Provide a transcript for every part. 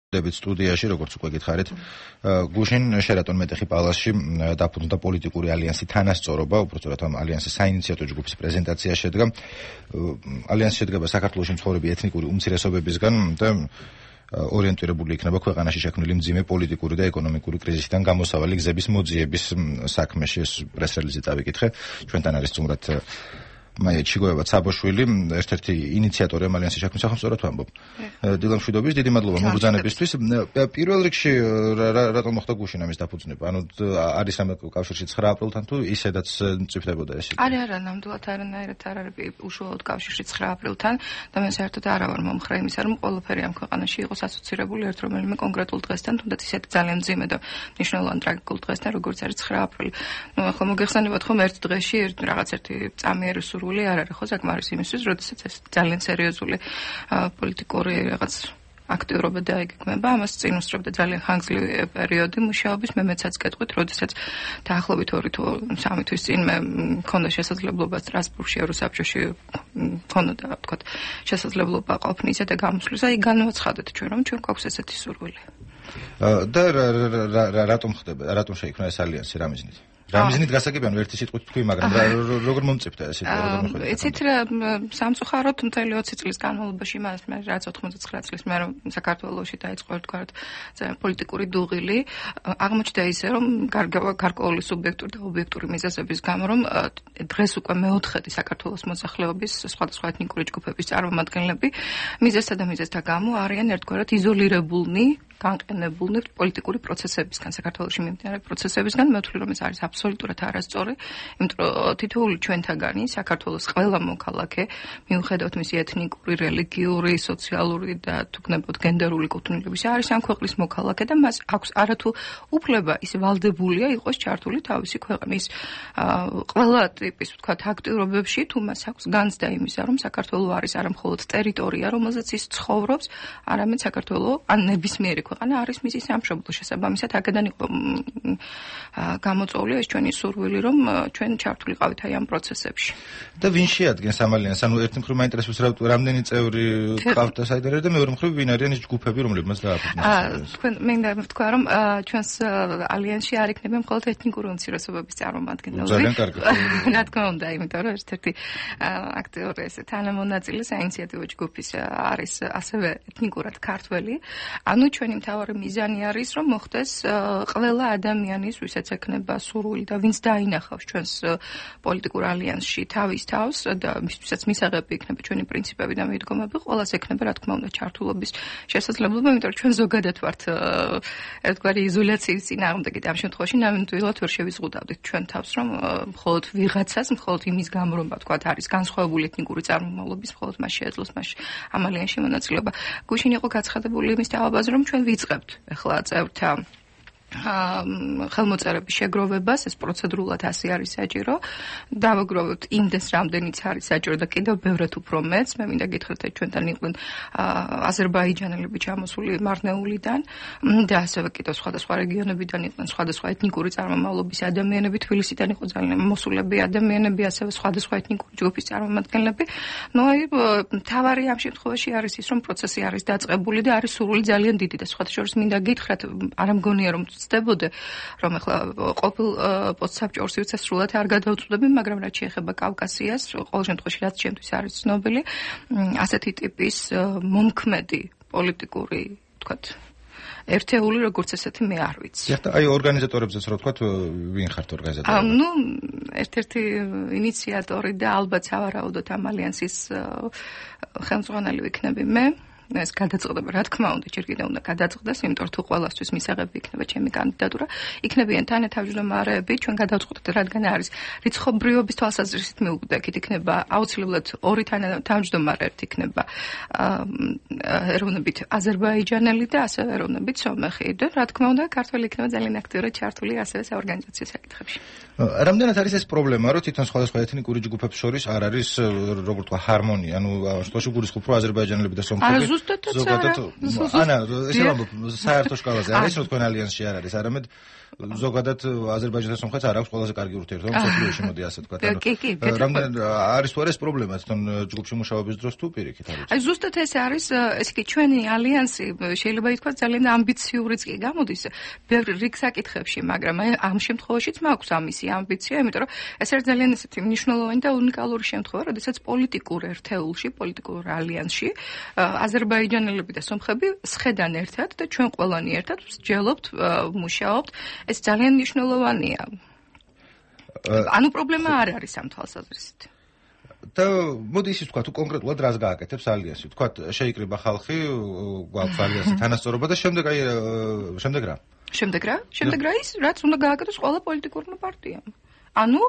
დებით სტუდიაში, როგორც უკვე გითხარით, გუშინ შერატონ მეტეხი პალასში დაფუძნდა პოლიტიკური ალიანსი თანასწორობა, უბრალოდ ამ ალიანსის საინიციატო ჯგუფის პრეზენტაცია შედგა. ალიანსი შედგება საქართველოში მცხოვრები ეთნიკური უმცირესობებისგან და ორიენტირებული იქნება ქვეყანაში შექმნილი მძიმე პოლიტიკური და ეკონომიკური კრიზისიდან გამოსავალი გზების მოძიების საქმეში. ეს პრეს-რელიზი წავიკითხე. ჩვენთან არის სტუმრად მაია ჩიგოევა ცაბოშვილი, ერთ-ერთი ინიციატორი ამ ალიანსის შექმნის სახელმწიფოდ ვამბობ. დილამშვიდობის, დიდი მადლობა მობრძანებისთვის. პირველ რიგში რატომ მოხდა გუშინ ამის დაფუძნება? ანუ არის რამე კავშირში 9 აპრილთან თუ ისედაც მწიფდებოდა ეს? არა, ნამდვილად არანაირად არ არის უშუალოდ კავშირში 9 აპრილთან და მე საერთოდ არა ვარ მომხრე იმისა, რომ ყველაფერი ამ ქვეყანაში იყოს ასოცირებული ერთ რომელიმე კონკრეტულ დღესთან, თუნდაც ისეთი ძალიან მძიმე და მნიშვნელოვანი ტრაგიკულ დღესთან, როგორც არის 9 აპრილი. ნუ ახლა მოგეხსენებათ ხომ ერთ დღეში რაღაც ერთი წამიერი არ არის ხო საკმარის იმისთვის, როდესაც ეს ძალიან სერიოზული პოლიტიკური რაღაც აქტიურობა დაიგეგმება, ამას წინ უსწრებდა ძალიან ხანგრძლივი პერიოდი მუშაობის, მე მეცაც კეთყვით, როდესაც დაახლოებით 2 თუ 3 თვის წინ მე მქონდა შესაძლებლობა სტრასბურგში ევროსაბჭოში მქონდა ვთქვათ შესაძლებლობა ყოფნისა და გამოსვლისა, იქ განვაცხადეთ ჩვენ, რომ ჩვენ გვაქვს ესეთი სურვილი. და რატომ ხდება, რატომ შეიქმნა ეს ალიანსი, რა მიზნით? რამიზნით გასაგებია, ერთი სიტყვით თქვი, მაგრამ როგორ მომწიფდა ეს სიტყვა? იცით რა, სამწუხაროდ მთელი 20 წლის განმავლობაში მას მე რაც 99 წლის მე რომ საქართველოში დაიწყო ერთგვარად პოლიტიკური დუღილი, აღმოჩნდა ისე, რომ გარკვეული სუბიექტური და ობიექტური მიზეზების გამო, რომ დღეს უკვე მეოთხედი საქართველოს მოსახლეობის სხვადასხვა ეთნიკური ჯგუფების წარმომადგენლები მიზეზსა და მიზეზთა გამო არიან ერთგვარად იზოლირებულნი, განყენებულნი პოლიტიკური პროცესებისგან, საქართველოში მიმდინარე პროცესებისგან. მე ვთვლი, რომ ეს არის აბსოლუტურად არასწორი, იმიტომ რომ თითოეული ჩვენთაგანი საქართველოს ყველა მოქალაქე, მიუხედავად მისი ეთნიკური, რელიგიური, სოციალური და თუ გნებოდ გენდერული კუთვნილების არის ამ ქვეყნის მოქალაქე და მას აქვს არათუ უფლება ის ვალდებულია იყოს ჩართული თავისი ქვეყნის ყველა ტიპის ვთქვათ აქტიურობებში, თუ მას აქვს განცდა იმისა, რომ საქართველო არის არა მხოლოდ ტერიტორია, რომელზეც ის ცხოვრობს, არამედ საქართველო ან ნებისმიერი ქვეყანა არის მისი სამშობლო. შესაბამისად, აქედან იყო გამოწვეული ეს ჩვენი სურვილი, რომ ჩვენ ჩართულიყავით აი ამ პროცესებში. და ვინ შეადგენს ამ ალიანსს? ანუ ერთი მხრივ მაინტერესებს რამდენი წევრი ყავთ და საიდანაა და მეორე მხრივ ვინ არიან ის ჯგუფები, რომლებმაც დააფუძნეს? თქვენ მინდა ვთქვა, რომ ჩვენს ალიანსში არ იქნება მხოლოდ ეთნიკური უმცირესობების წარმომადგენლები. ძალიან კარგი. რა თქმა უნდა, იმიტომ რომ ერთ-ერთი აქტიური ეს თანამონაწილე საინიციატივო ჯგუფის არის ასევე ეთნიკურად ქართველი. ანუ ჩვენი მთავარი მიზანი არის, რომ მოხდეს ყველა ადამიანის, ვისაც ექნება სურვილი და ვინც დაინახავს ჩვენს პოლიტიკურ ალიანსში თავის თავს და მისთვისაც მისაღები იქნება ჩვენი პრინციპები და მიდგომები, ყველას ექნება რა თქმა უნდა ჩართულობის შესაძლებლობა, იმიტომ რომ ჩვენ ზოგადად ვართ ერთგვარი იზოლაციის წინააღმდეგი და ამ შემთხვევაში ნამდვილად ვერ შევიზღუდავდით ჩვენ თავს, რომ მხოლოდ ვიღაცას, მხოლოდ იმის გამო რომ ვთქვათ არის განსხვავებული ეთნიკური წარმომავლობის, მხოლოდ მას შეეძლოს მას ამ ალიანსში მონაწილეობა. გუშინ იყო გაცხადებული იმის თავაბაზე, რომ ჩვენ ვიწყებთ ახლა წევრთა ხელმოწერების შეგროვებას, ეს პროცედურულად ასე არის საჭირო. დავაგროვებთ იმდენს, რამდენიც არის საჭირო და კიდევ ბევრად უფრო მეც. მე მინდა გითხრათ, ჩვენთან იყვნენ აზერბაიჯანელები ჩამოსული მარნეულიდან და ასევე კიდევ სხვადასხვა რეგიონებიდან იყვნენ სხვადასხვა ეთნიკური წარმომავლობის ადამიანები, თბილისიდან იყო ძალიან მოსულები ადამიანები, ასევე სხვადასხვა ეთნიკური ჯგუფის წარმომადგენლები. ნუ აი მთავარი ამ შემთხვევაში არის ის, რომ პროცესი არის დაწყებული და არის სურვილი ძალიან დიდი და სხვათა შორის მინდა გითხრათ, არ ამგონია რომ ცდებოდე, რომ ახლა ყოფილ პოსტსაბჭოს სრულად არ გადავწყვეტები, მაგრამ რაც შეეხება კავკასიას, ყოველ შემთხვევაში რაც ჩემთვის არის ცნობილი, ასეთი ტიპის მომქმედი პოლიტიკური, ვთქვათ, ერთეული როგორც ესეთი მე არ ვიცი. აი ორგანიზატორებზეც რა ვთქვათ, ვინ ხართ ორგანიზატორები? ნუ ერთ-ერთი ინიციატორი და ალბათ სავარაუდოდ ამ ალიანსის ხელმძღვანელი ვიქნები მე. ეს გადაწყდება, რა თქმა უნდა, ჯერ კიდევ უნდა გადაწყდეს, იმიტომ რომ თუ ყველასთვის მისაღები იქნება ჩემი კანდიდატურა, იქნებიან თანათავმჯდომარეები, ჩვენ გადავწყვეტთ, რადგან არის რიცხობრიობის თვალსაზრისით მიუკვდებით, იქნება აუცილებლად 2 თანათავმჯდომარე, ერთი იქნება ეროვნებით აზერბაიჯანელი და ასევე ეროვნებით სომეხი და რა თქმა უნდა, ქართველი იქნება ძალიან აქტიურად ჩართული ასევე საორგანიზაციო საკითხებში. რამდენად არის ეს პრობლემა, რომ თვითონ სხვადასხვა ეთნიკური ჯგუფებს შორის არ არის, როგორ თქვა, ჰარმონია, ანუ შტოში გულისხმობ, რომ აზერბაიჯანელები და სომხები ზუსტადაც ანა, ესე ვამბობ, საერთო სკალაზე არის, რომ თქვენ ალიანსში არ არის, არამედ ზოგადად აზერბაიჯანთან სომხეთს არ აქვს ყველაზე კარგი ურთიერთობა მსოფლიოში, მოდი ასე ვთქვათ. რამდენ არის თუ არა ეს პრობლემა თვითონ ჯგუფში მუშაობის დროს თუ პირიქით არის? აი ზუსტად ეს არის, ესე იგი ჩვენი ალიანსი შეიძლება ითქვას ძალიან ამბიციურიც კი გამოდის ბევრ რიგ საკითხებში, მაგრამ აი ამ შემთხვევაშიც მაქვს ამისი ამბიცია, იმიტომ რომ ეს არის ძალიან ესეთი მნიშვნელოვანი და უნიკალური შემთხვევა, როდესაც პოლიტიკურ ერთეულში, პოლიტიკურ ალიანსში აზერბაიჯანელები და სომხები სხედან ერთად და ჩვენ ყველანი ერთად ვსჯელობთ, მუშაობთ. ეს ძალიან მნიშვნელოვანია. ანუ პრობლემა არ არის ამ თვალსაზრისით. და მოდი ისიც ვთქვა, თუ კონკრეტულად რას გააკეთებს ალიანსი. ვთქვა, შეიკრიბა ხალხი, გვაქვს ალიანსი თანასწორობა და შემდეგ რა? შემდეგ რა ის, რაც უნდა გააკეთოს ყველა პოლიტიკურმა პარტიამ. ანუ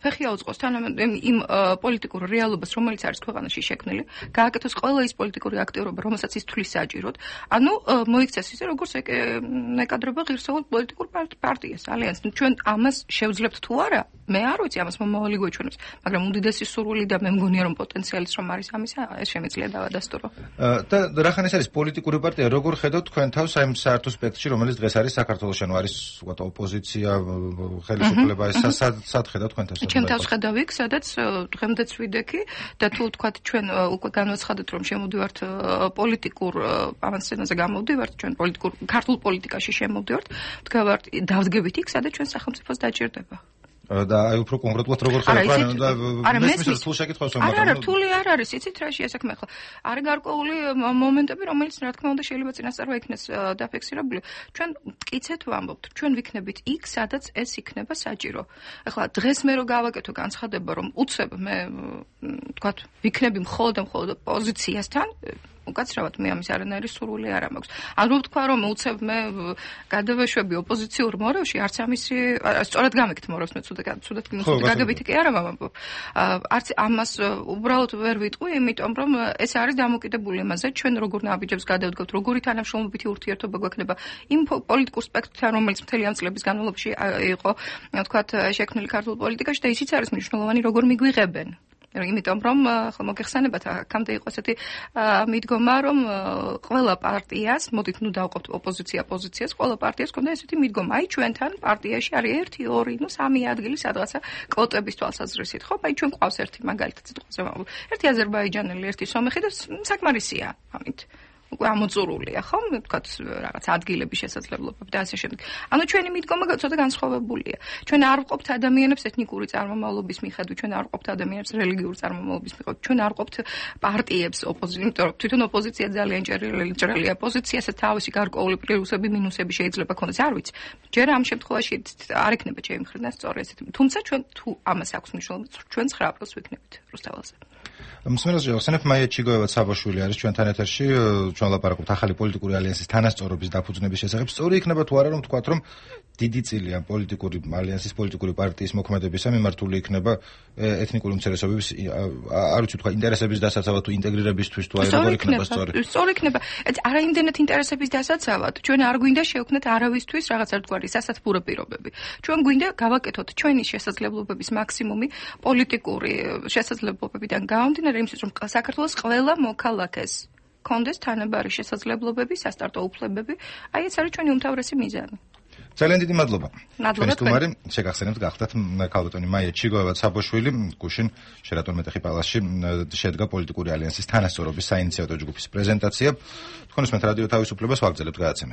ფეხი აუწყოს იმ პოლიტიკურ რეალობას, რომელიც არის ქვეყანაში შექმნილი, გააკეთოს ყველა ის პოლიტიკური აქტივობა, რომელსაც ის თვლის საჭიროდ. ანუ მოიქცეს ისე, როგორც ეკადრება ღირსეულ პოლიტიკურ პარტიას, ალიანსს. ჩვენ ამას შევძლებთ თუ არა? მე არ ვიცი, ამას მომავალი გვეჩვენებს, მაგრამ უდიდესი სურვილი და მე მგონია, რომ პოტენციალიც რომ არის ამისა, ეს შემიძლია დავადასტურო. და რახან ეს არის პოლიტიკური პარტია, როგორ ხედავთ თქვენ თავს ამ საერთო სპექტრში, რომელიც დღეს არის საქართველოში, ანუ არის ვთქვათ ოპოზიცია, ხელისუფლება, ეს სად ხედავთ თქვენ თავს? ჩემ თავს ხედავ იქ, სადაც დღემდეც ვიდექი და თუ ვთქვათ ჩვენ უკვე განვაცხადეთ, რომ შემოვდივართ პოლიტიკურ ავანსცენაზე გამოვდივართ, ჩვენ პოლიტიკურ ქართულ პოლიტიკაში შემოვდივართ, ვდგავართ დავდგებით იქ, სადაც ჩვენ სახელმწიფოს დაჭირდება. და აი უფრო კონკრეტულად როგორ ხედავთ და მესმის თუ შეკითხვას ვამბობ. არა, რთული არ არის, იცით რა შეასაქმე ახლა. არის გარკვეული მომენტები, რომელიც რა თქმა უნდა შეიძლება წინასწარ იქნეს დაფიქსირებული. ჩვენ მტკიცეთ ვამბობთ, ჩვენ ვიქნებით იქ, სადაც ეს იქნება საჭირო. ახლა დღეს მე რო გავაკეთო განცხადება, რომ უცებ მე ვთქვათ, ვიქნები მხოლოდ პოზიციასთან, უკაცრავად მე ამის არანაირი სურვილი არ მაქვს. ან რო ვთქვა, რომ უცებ მე გადავეშვები ოპოზიციურ მორევში, არც ამისი სწორად გამიქთ მორევს მე ცუდად გაგებითი კი არა ვამბობ. არც ამას უბრალოდ ვერ ვიტყვი, იმიტომ რომ ეს არის დამოკიდებული იმაზე, ჩვენ როგორ ნაბიჯებს გადავდგავთ, როგორი თანამშრომლობითი ურთიერთობა გვექნება იმ პოლიტიკურ სპექტრთან, რომელიც მთელი ამ წლების განმავლობაში იყო, ვთქვათ, შექმნილი ქართულ პოლიტიკაში და ისიც არის მნიშვნელოვანი, როგორ მიგვიღებენ. იმიტომ რომ ახლა მოგეხსენებათ აქამდე იყო ესეთი მიდგომა, რომ ყველა პარტიას, მოდით ნუ დავყოფთ ოპოზიცია პოზიციას, ყველა პარტიას ჰქონდა ესეთი მიდგომა, აი ჩვენთან პარტიაში არის 1, 2, 3 ადგილი სადღაცა კვოტების თვალსაზრისით, ხო? აი ჩვენ ყავს ერთი მაგალითად სიტყვაზე ვამბობ. ერთი აზერბაიჯანელი, ერთი სომეხი და საკმარისია ამით. უკვე ამოწურულია, ხო? ვთქვათ, რაღაც ადგილების შესაძლებლობები და ასე შემდეგ. ანუ ჩვენი მიდგომა ცოტა განსხვავებულია. ჩვენ არ ვყოფთ ადამიანებს ეთნიკური წარმომავლობის მიხედვით, ჩვენ არ ვყოფთ ადამიანებს რელიგიური წარმომავლობის მიხედვით, ჩვენ არ ვყოფთ პარტიებს იმიტომ რომ თვითონ ოპოზიცია ძალიან ჭრელია პოზიციასაც თავისი გარკვეული პლუსები, მინუსები შეიძლება ქონდეს, არ ვიცი. ჯერ ამ შემთხვევაში არ ექნება ჩემი მხრიდან სწორი ესეთი. თუმცა ჩვენ თუ ამას აქვს მნიშვნელობა, ჩვენ 9 აპრილს ვიქნებით რუსთაველზე. მსმენელს შევახსენებ, მაია ჩიგოევა ცაბაშვილი არის ჩვენთან ეთერში, ჩვენ ლაპარაკობთ ახალი პოლიტიკური ალიანსის თანასწორობის დაფუძნების შესახებ. სწორი იქნება თუ არა, რომ ვთქვათ, რომ დიდი წილია პოლიტიკური ალიანსის პოლიტიკური პარტიის მოქმედებისა მიმართული იქნება ეთნიკური უმცირესობების არ ვიცი თქვა ინტერესების დასაცავად თუ ინტეგრირებისთვის თუ აი როგორ იქნება სწორი. სწორი იქნება. არა იმდენად ინტერესების დასაცავად, ჩვენ არ გვინდა შევქმნათ არავისთვის რაღაც ერთგვარი სასათბურო პირობები. ჩვენ გვინდა გავაკეთოთ ჩვენი შესაძლებლობების მაქსიმუმი პოლიტიკური შესაძლებლობებიდან გამომდინარე იმისთვის, რომ საქართველოს ყველა მოქალაქეს კონდეს თანაბარი შესაძლებლობები, სასტარტო უფლებები. აი ეს არის ჩვენი უმთავრესი მიზანი. ძალიან დიდი მადლობა. მადლობა თქვენ. შეგახსენებთ გახდათ ქალბატონი მაია ჩიგოევა ცაბაშვილი, გუშინ შერატონ მეტეხი პალასში შედგა პოლიტიკური ალიანსის თანასწორობის საინიციატო ჯგუფის პრეზენტაცია. თქვენ უსმენთ რადიო თავისუფლებას, ვაგრძელებთ გადაცემას.